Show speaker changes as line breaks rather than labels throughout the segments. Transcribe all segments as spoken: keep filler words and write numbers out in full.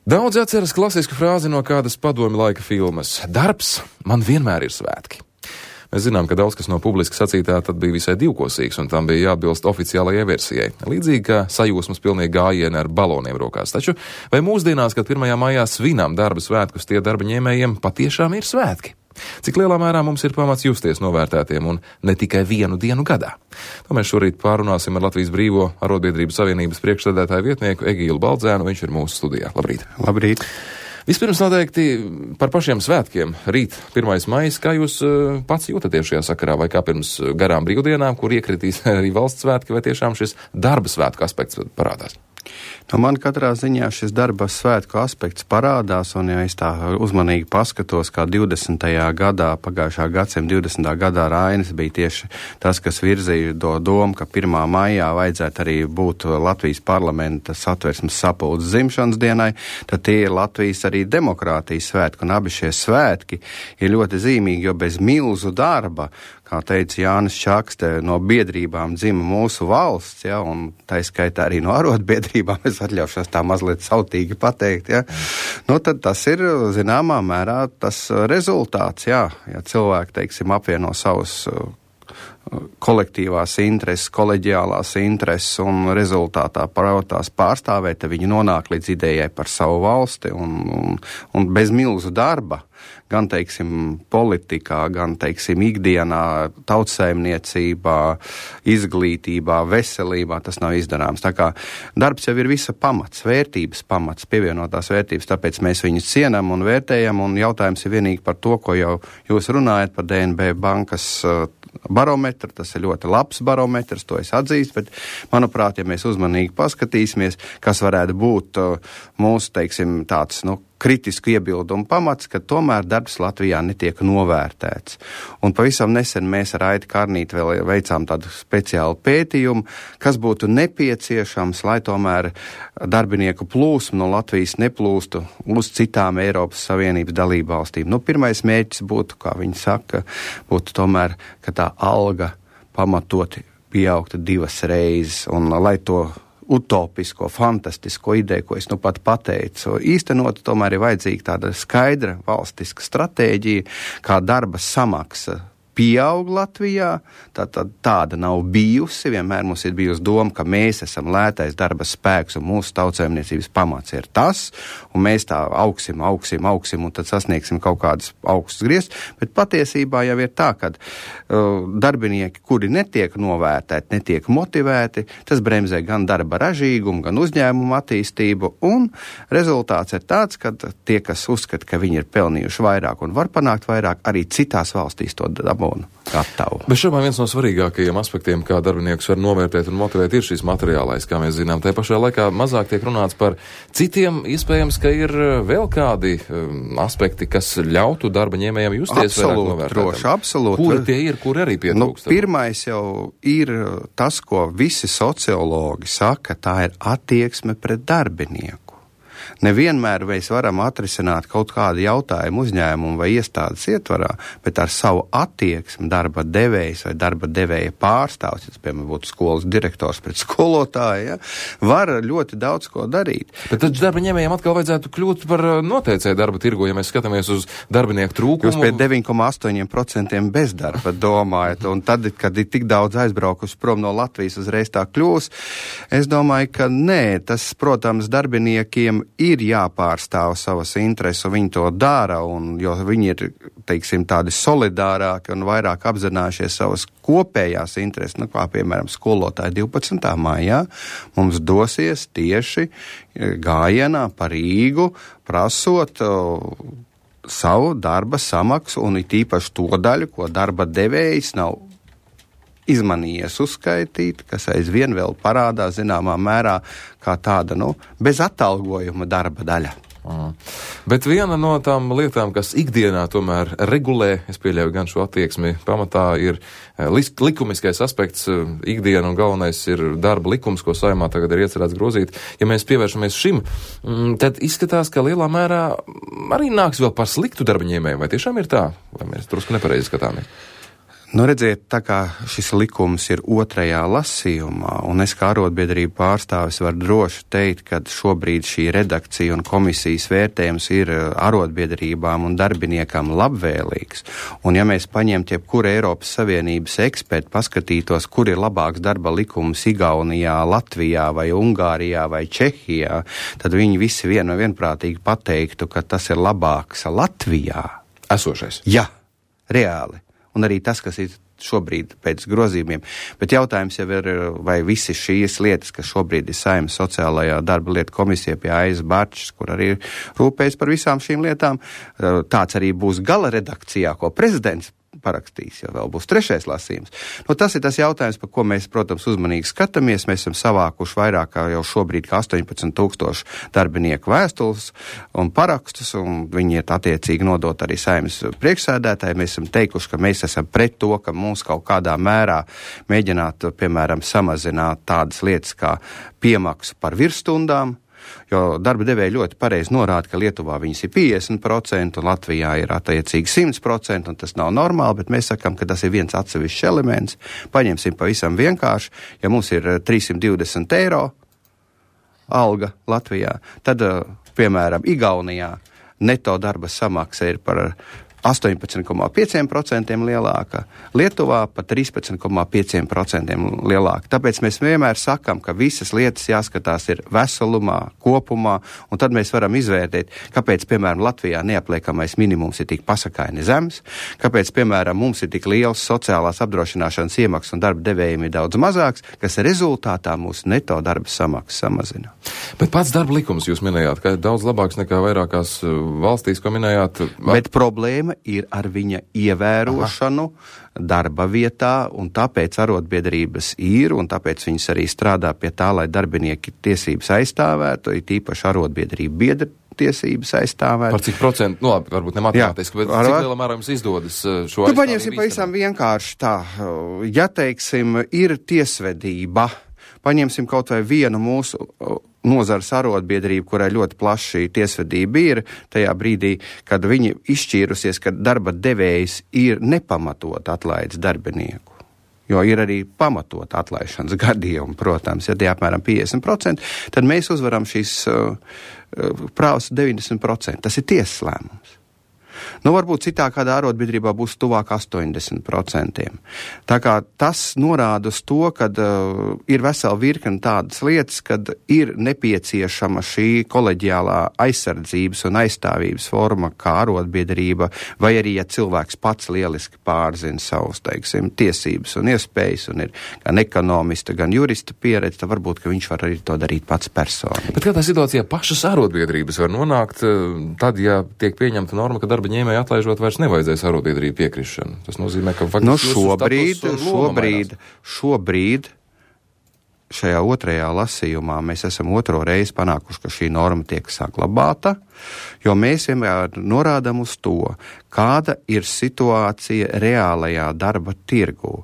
Daudz atceras klasisku frāzi no kādas padomju laika filmas. Darbs man vienmēr ir svētki. Mēs zinām, ka daudz kas no publiski sacītā tad bija visai divkosīgs, un tam bija jāatbilst oficiālajai versijai. Līdzīgi kā sajūsmas pilnīgi gājieni ar baloniem rokās. Taču vai mūsdienās, kad pirmajā maijā svinām darba svētkus, tie darba ņēmējiem patiešām ir svētki? Cik lielā mērā mums ir pamats justies novērtētiem un ne tikai vienu dienu gadā? To mēs šorīt pārunāsim ar Latvijas Brīvo arotbiedrību savienības priekšsēdētāju vietnieku Egīlu Baldzēnu. Viņš ir mūsu studijā. Labrīt!
Labrīt!
Vispirms noteikti par pašiem svētkiem. Rīt, pirmais maijs, kā jūs uh, pats jūtaties šajā sakarā, vai kā pirms garām brīvdienām, kur iekritīs arī valsts svētki, vai tiešām šis darba svētku aspekts parādās?
Nu, man katrā ziņā šis darba svētku aspekts parādās, un ja es tā uzmanīgi paskatos, kā divdesmitajā gadā, pagājušā gadsimta divdesmitā gadā Rainis bija tieši tas, kas virzīja to domu, ka pirmā maijā vajadzētu arī būt Latvijas parlamenta satversmes sapulces dzimšanas dienai, tad tie ir Latvijas arī demokrātijas svētki, un abi šie svētki ir ļoti zīmīgi, jo bez milzu darba, kā teica Jānis Čakste, no biedrībām dzima mūsu valsts, ja, un tā skaitā arī no arotbiedrībām, es atļaušos tā mazliet sautīgi pateikt, ja. Nu, tad tas ir, zināmā mērā, tas rezultāts, jā, ja cilvēki, teiksim, apvieno savus kolektīvās intereses, koleģiālās intereses un rezultātā parautās pārstāvēt, tad viņi nonāk līdz idejai par savu valsti un, un, un bez milzu darba, gan, teiksim, politikā, gan, teiksim, ikdienā, tautsaimniecībā, izglītībā, veselībā, tas nav izdarāms. Tā kā darbs jau ir visa pamats, vērtības pamats, pievienotās vērtības, tāpēc mēs viņus cienam un vērtējam, un jautājums ir vienīgi par to, ko jau jūs runājat par D N B bankas barometru, tas ir ļoti labs barometrs, to es atzīstu, bet, manuprāt, ja mēs uzmanīgi paskatīsimies, kas varētu būt mūsu, teiksim, tāds, nu, kritisku iebildumu pamats, ka tomēr darbs Latvijā netiek novērtēts. Un pavisam nesen mēs ar Aiti Karnīti vēl veicām tādu speciālu pētījumu, kas būtu nepieciešams, lai tomēr darbinieku plūsmu no Latvijas neplūstu uz citām Eiropas Savienības dalību valstīm. Nu, pirmais mērķis būtu, kā viņi saka, būtu tomēr, ka tā alga pamatoti pieaugtu divas reizes, un lai to utopisko, fantastisko ideju, ko es nu pat pateicu, īstenot, tomēr ir vajadzīga tāda skaidra valstiska stratēģija, kā darba samaksa pieaug Latvijā, tā, tā, tāda nav bijusi, vienmēr mums ir bijusi doma, ka mēs esam lētais darba spēks un mūsu tautsaimniecības pamats ir tas, un mēs tā augsim, augsim, augsim un tad sasniegsim kaut kādas augstas grieztas, bet patiesībā jau ir tā, ka uh, darbinieki, kuri netiek novērtēti, netiek motivēti, tas bremzē gan darba ražīgumu, gan uzņēmumu attīstību, un rezultāts ir tāds, ka tie, kas uzskata, ka viņi ir pelnījuši vairāk un var panākt vairāk, arī citās valstīs to dabū. Gatavu.
Bet šobrīd viens no svarīgākajiem aspektiem, kā darbiniekus var novērtēt un motivēt, ir šis materiālais, kā mēs zinām. Tā pašā laikā mazāk tiek runāts par citiem, iespējams, ka ir vēl kādi um, aspekti, kas ļautu darba ņēmējiem justies vairāk novērtētam.
Droši, absolūti.
Kuri tie ir, kuri arī pietrūkst?
Nu, pirmais jau ir tas, ko visi sociologi saka, tā ir attieksme pret darbinieku. Nevienmēr mēs varam atrisināt kaut kādu jautājumu uzņēmumu vai iestādes ietvarā, bet ar savu attieksmi darba devējs vai darba devēja pārstāvs, ja tas, piemēram, būtu skolas direktors pret skolotāju, ja, var ļoti daudz ko darīt.
Bet tad darba ņēmējiem atkal vajadzētu kļūt par noteicēju darba tirgu, ja mēs skatāmies uz darbinieku trūkumu.
Jūs pie deviņi komā astoņi procenti bezdarba domājat, un tad, kad ir tik daudz aizbraukuši prom no Latvijas, uzreiz tā kļūs. Es domāju, ka nē, tas, protams, darbiniekiem ir jāpārstāv savas intereses, un viņi to dara, un, jo viņi ir, teiksim, tādi solidārāki un vairāk apzinājušies savas kopējās intereses, nu, kā, piemēram, skolotāji divpadsmitā maijā mums dosies tieši gājienā pa Rīgu, prasot uh, savu darba samaksu, un it īpaši to daļu, ko darba devējs nav izmanījies uzskaitīt, kas aizvien vēl parādās zināmā mērā kā tāda, nu, bez atalgojuma darba daļa.
Mm. Bet viena no tām lietām, kas ikdienā tomēr regulē, es pieļauju gan šo attieksmi pamatā, ir likumiskais aspekts ikdiena, un galvenais ir darba likums, ko Saeimā tagad ir iecerēts grozīt. Ja mēs pievēršamies šim, tad izskatās, ka lielā mērā arī nāks vēl par sliktu darba ņēmēju. Vai tiešām ir tā? Vai mēs drusku nepareizi skatāmies?
Nu, redziet, tā kā šis likums ir otrajā lasījumā, un es kā arotbiedrību pārstāvis varu droši teikt, ka šobrīd šī redakcija un komisijas vērtējums ir arotbiedrībām un darbiniekam labvēlīgs. Un ja mēs paņemtu jebkuru Eiropas Savienības ekspertu, paskatītos, kur ir labāks darba likums Igaunijā, Latvijā vai Ungārijā vai Čehijā, tad viņi visi vien, vienprātīgi pateiktu, ka tas ir labāks Latvijā.
Esošais.
Jā, reāli. Un arī tas, kas ir šobrīd pēc grozījumiem. Bet jautājums jau ir, vai visi šīs lietas, kas šobrīd ir Saeimas sociālajā darba lietu komisija pie Aizas Barčs, kur arī rūpējas par visām šīm lietām, tāds arī būs gala redakcijā, ko prezidents parakstīs, jo vēl būs trešais lasījums. Nu, tas ir tas jautājums, par ko mēs, protams, uzmanīgi skatāmies. Mēs esam savākuši vairāk kā jau šobrīd kā astoņpadsmit tūkstoši darbinieku vēstules un parakstus, un viņi ir attiecīgi nodot arī Saeimas priekšsēdētāji. Mēs esam teikuši, ka mēs esam pret to, ka mums kaut kādā mērā mēģināt, piemēram, samazināt tādas lietas kā piemaksu par virsstundām, jo darba devēji ļoti pareizi norāda, ka Lietuvā viņas ir piecdesmit procenti un Latvijā ir attiecīgi simt procenti, un tas nav normāli, bet mēs sakam, ka tas ir viens atsevišķs elements. Paņemsim pavisam vienkārši, ja mums ir trīssimt divdesmit eiro alga Latvijā, tad, piemēram, Igaunijā neto darba samaksa ir par astoņpadsmit komā pieci procenti lielāka, Lietuvā pat trīspadsmit komā pieci procenti lielāka. Tāpēc mēs vienmēr sakam, ka visas lietas jāskatās ir veselumā, kopumā, un tad mēs varam izvērtēt, kāpēc, piemēram, Latvijā neapliekamais minimums ir tik pasakaini zems, kāpēc, piemēram, mums ir tik liels sociālās apdrošināšanas iemaksas un darba devējiem ir daudz mazāks, kas rezultātā mūsu neto darba samaksas samazina.
Bet pats darba likums jūs minējāt, ka ir daudz labāks nekā vairākās valstīs, ko minējāt.
Bet problēma ir ar viņa ievērošanu Aha. darba vietā, un tāpēc arotbiedrības ir, un tāpēc viņas arī strādā pie tā, lai darbinieki tiesības aizstāvētu, ir tīpaši arotbiedrību biedri tiesības aizstāvēt.
Par cik procentu, nu labi, varbūt ne matemātiski, bet ar... cik lielā mērā jums izdodas šo aizstāvību?
Nu, paņemsim pavisam vienkārši tā. Ja, teiksim, ir tiesvedība, paņemsim kaut vai vienu mūsu nozares arotbiedrību, kurai ļoti plaši tiesvedība ir, tajā brīdī, kad viņi izšķīrusies, ka darba devējs ir nepamatot atlaidis darbinieku. Jo ir arī pamatot atlaišanas gadījumi, protams, ja tie apmēram piecdesmit procenti, tad mēs uzvaram šīs uh, prāvas deviņdesmit procenti. Tas ir tiesas lēmums. Nu, varbūt citā kādā arotbiedrībā būs tuvāk astoņdesmit procentiem. Tā kā tas norāda uz to, ka uh, ir vesela virkne tādas lietas, kad ir nepieciešama šī koleģiālā aizsardzības un aizstāvības forma kā arotbiedrība, vai arī, ja cilvēks pats lieliski pārzina savus, teiksim, tiesības un iespējas, un ir gan ekonomista, gan jurista pieredze, tad varbūt, ka viņš var arī to darīt pats personīgi.
Bet kādā situācijā pašas arotbiedrības var nonākt, tad, ja tiek pieņemta norma, ka darba ņēmēji atlaižot vairs nevajadzēs arotbiedrību piekrišanu. Tas nozīmē, ka faktiski
nu, šobrīd, šobrīd, šobrīd šajā otrajā lasījumā mēs esam otro reizi panākuši, ka šī norma tiek saglabāta, jo mēs vienmēr norādam uz to, kāda ir situācija reālajā darba tirgū.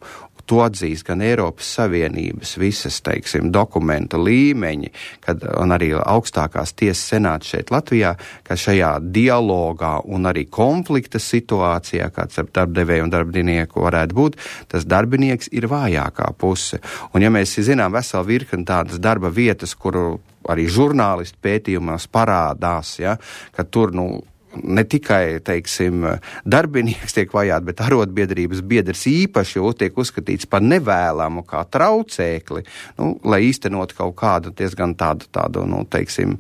To atzīst gan Eiropas Savienības visas, teiksim, dokumenta līmeņi, kad, un arī augstākās tiesas senāts šeit Latvijā, ka šajā dialogā un arī konflikta situācijā, kāds ar darbdevēju un darbinieku varētu būt, tas darbinieks ir vājākā puse. Un ja mēs zinām veselu virkni tādas darba vietas, kuru arī žurnālisti pētījumās parādās, ja, ka tur, nu, ne tikai, teiksim, darbinieks tiek vajāt, bet arotbiedrības biedrs īpaši jau tiek uzskatīts par nevēlamu kā traucēkli, nu, lai īstenot kaut kādu diezgan tādu, tādu, nu, teiksim,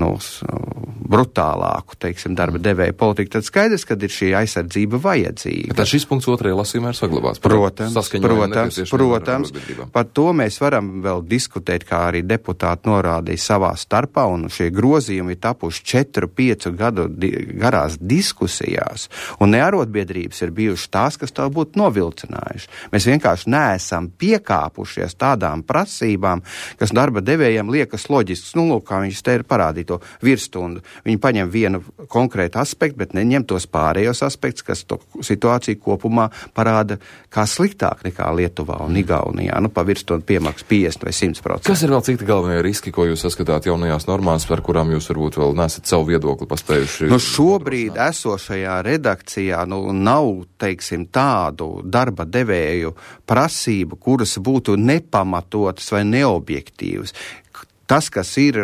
nu, brutālāku, teiksim, darba devēja politiku, tad skaidrs, kad ir šī aizsardzība vajadzīga.
Tad šis punkts otrajā lasījumā ir saglabāts.
Protams, protams, protams. Par to mēs varam vēl diskutēt, kā arī deputāti norādīja savā starpā, un šie grozījumi ir tapuši četru, piecu gadu di- garās diskusijās, un ne arotbiedrības ir bijušas tās, kas tā būtu novilcinājuši. Mēs vienkārši neesam piekāpušies tādām prasībām, kas darba devējiem liekas loģisks. Nu, lūk, kā viņš te ir parādījis to virsstundu. Viņi paņem vienu konkrētu aspektu, bet neņem tos pārējos aspektus, kas to situāciju kopumā parāda kā sliktāk nekā Lietuvā un Igaunijā. Nu, pavirstot piemaksas piecdesmit vai simt procenti.
Kas ir vēl citi galvenie riski, ko jūs saskatāt jaunajās normās, par kurām jūs varbūt vēl nesat savu viedokli paspējuši?
Nu, šobrīd esošajā redakcijā nu, nav, teiksim, tādu darba devēju prasību, kuras būtu nepamatotas vai neobjektīvas. Tas, kas ir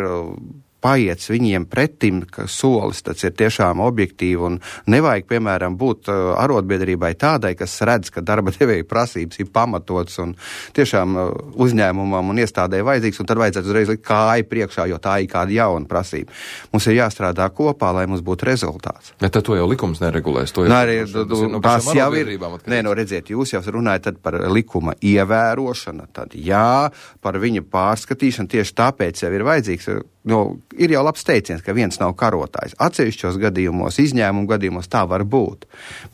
paiets viņiem pretim, ka solis tas ir tiešām objektīvi un nevajag, piemēram, būt uh, arotbiedrībai tādai, kas redz, ka darba devēja prasības ir pamatots un tiešām uh, uzņēmumam un iestādē vajadzīgs, un tad vajadzētu uzreiz likt kāju priekšā, jo tā ir kāda jauna prasība. Mums ir jāstrādā kopā, lai mums būtu rezultāts.
Bet tad to jau likums neregulēs. To jau,
Nā, arī,
tas ir no
tās jau ir,
atkarīgs.
nē, no redziet, jūs jau runājat tad par likuma ievērošanu, tad jā, par viņa pārskatīšanu, tieši tāpēc jau ir vajadzīgs. No, ir jau labs teiciens, ka viens nav karotājs. Atsevišķos gadījumos, izņēmumu gadījumos tā var būt.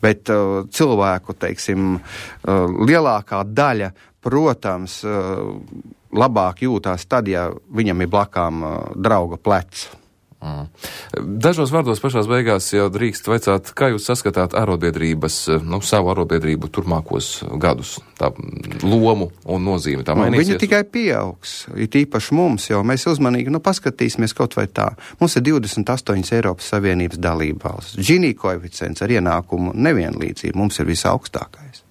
Bet uh, cilvēku, teiksim, uh, lielākā daļa, protams, uh, labāk jūtās tad, ja viņam ir blakām uh, drauga plecs.
Mm. Dažos vārdos pašās beigās jau drīkst vaicāt, kā jūs saskatāt arotbiedrības, nu, savu arotbiedrību turpmākos gadus, tā lomu un nozīmi tā mainīsies?
Viņa tikai pieaugs, it īpaši mums, jo mēs uzmanīgi, nu, paskatīsimies kaut vai tā. Mums ir divdesmit astoņas Eiropas Savienības dalībvalstis. Gini koeficients ar ienākumu nevienlīdzību mums ir visaugstākais.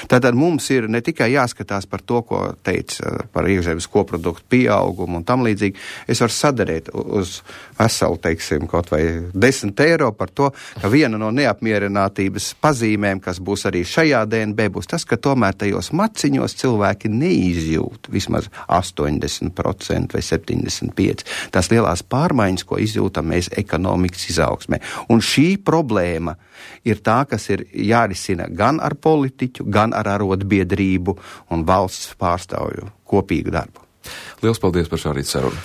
Tātad mums ir ne tikai jāskatās par to, ko teica par iekšzemes koproduktu pieaugumu un tam līdzīgi. Es varu sadarīt uz veselu, teiksim, kaut vai desmit eiro par to, ka viena no neapmierinātības pazīmēm, kas būs arī šajā D N B, būs tas, ka tomēr tajos maciņos cilvēki neizjūt vismaz astoņdesmit procenti vai septiņdesmit pieci procenti. Tās lielās pārmaiņas, ko izjūtam mēs ekonomikas izaugsmē. Un šī problēma ir tā, kas ir jārisina gan ar politiķu, gan ar arotbiedrību un valsts pārstāvju kopīgu darbu.
Liels paldies par šā rīta sarunu.